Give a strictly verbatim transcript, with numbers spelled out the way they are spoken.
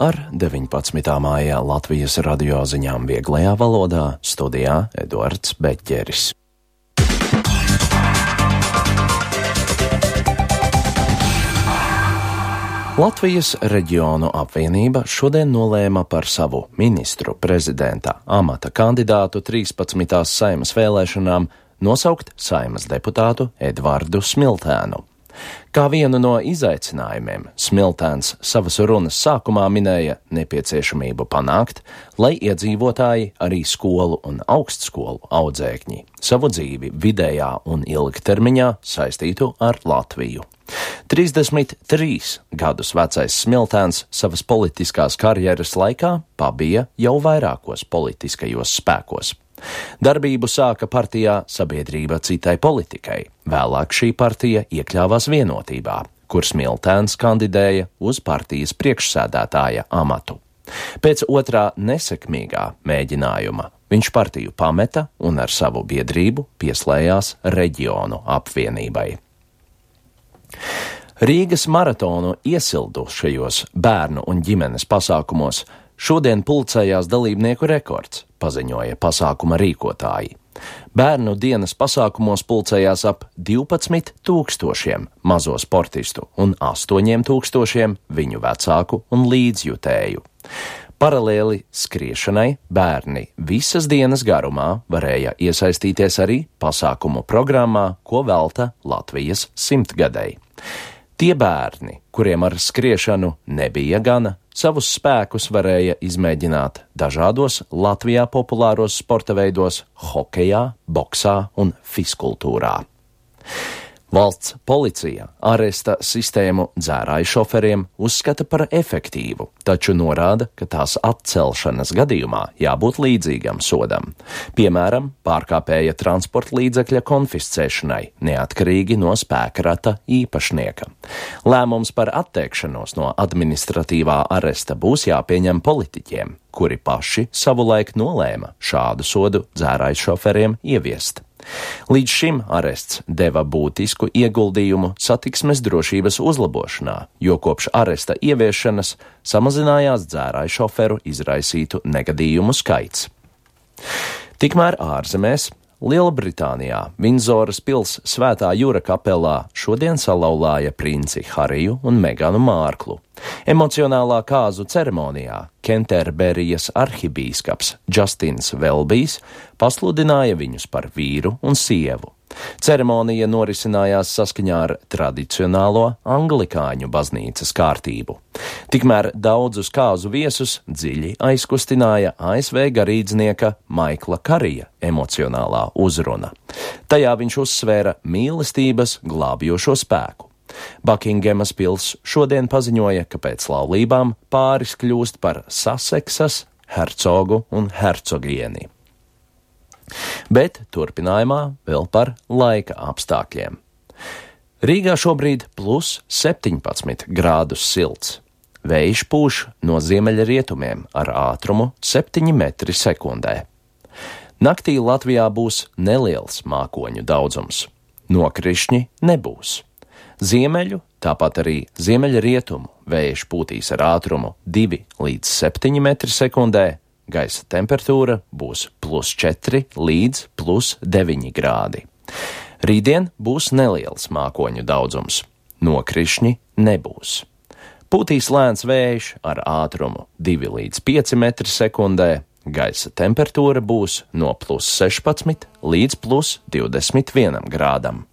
Ar deviņpadsmitā māja Latvijas radio ziņām vieglajā valodā studijā Eduards Beķeris. Latvijas reģionu apvienība šodien nolēma par savu ministru prezidenta amata kandidātu trīspadsmitās Saeimas vēlēšanām nosaukt Saeimas deputātu Edvardu Smiltēnu. Kā vienu no izaicinājumiem Smiltēns savas runas sākumā minēja nepieciešamību panākt, lai iedzīvotāji, arī skolu un augstskolu audzēkņi, savu dzīvi vidējā un ilgtermiņā saistītu ar Latviju. trīsdesmit trīs gadus vecais Smiltēns savas politiskās karjeras laikā pabija jau vairākos politiskajos spēkos. Darbību sāka partijā Sabiedrība citai politikai, vēlāk šī partija iekļāvās Vienotībā, kur Smiltēns kandidēja uz partijas priekšsēdētāja amatu. Pēc otrā nesekmīgā mēģinājuma viņš partiju pameta un ar savu biedrību pieslējās reģionu apvienībai. Rīgas maratonu iesildušajos bērnu un ģimenes pasākumos šodien pulcējās dalībnieku rekords, paziņoja pasākuma rīkotāji. Bērnu dienas pasākumos pulcējās ap divpadsmit tūkstošiem mazo sportistu un astoņiem tūkstošiem viņu vecāku un līdzjutēju. Paralēli skriešanai bērni visas dienas garumā varēja iesaistīties arī pasākumu programmā, ko velta Latvijas simtgadei. Tie bērni, kuriem ar skriešanu nebija gana, savus spēkus varēja izmēģināt dažādos Latvijā populāros sporta veidos hokejā, boksā un fiskultūrā. Valsts policija aresta sistēmu dzērāju šoferiem uzskata par efektīvu, taču norāda, ka tās atcelšanas gadījumā jābūt līdzīgam sodam. Piemēram, pārkāpēja transporta līdzekļa konfiscēšanai, neatkarīgi no spēkrata īpašnieka. Lēmums par atteikšanos no administratīvā aresta būs jāpieņem politiķiem, kuri paši savulaik nolēma šādu sodu dzērāju šoferiem ieviest. Līdz šim arests deva būtisku ieguldījumu satiksmes drošības uzlabošanā, jo kopš aresta ieviešanas samazinājās dzērāju šoferu izraisītu negadījumu skaits. Tikmēr ārzemēs Lielbritānijā Vindzoras pils Svētā Jūra kapelā šodien salauzāja princi Hariju un Meganu Mārklu. Emocionālā kāzu ceremonijā Kenterberijas arhibīskaps Justins Velbijs pasludināja viņus par vīru un sievu. Ceremonija norisinājās saskaņā ar tradicionālo anglikāņu baznīcas kārtību. Tikmēr daudzus kāzu viesus dziļi aizkustināja A S V garīdznieka Maikla Karija emocionālā uzruna. Tajā viņš uzsvēra mīlestības glābjošo spēku. Bukingemas pils šodien paziņoja, ka pēc laulībām pāris kļūst par Saseksas hercogu un hercogieni. Bet turpinājumā vēl par laika apstākļiem. Rīgā šobrīd plus septiņpadsmit grādus silts. Vējš pūš no ziemeļrietumiem ar ātrumu septiņi metri sekundē. Naktī Latvijā būs neliels mākoņu daudzums. Nokrišņi nebūs. Ziemeļu, tāpat arī ziemeļrietumu vējš pūtīs ar ātrumu divi līdz septiņi metri sekundē. Gaisa temperatūra būs plus četri līdz plus deviņi grādi. Rītdien būs neliels mākoņu daudzums. Nokrišņi nebūs. Pūtīs lēns vējš ar ātrumu divi līdz pieci metri sekundē. Gaisa temperatūra būs no plus sešpadsmit līdz plus divdesmit vienam grādam.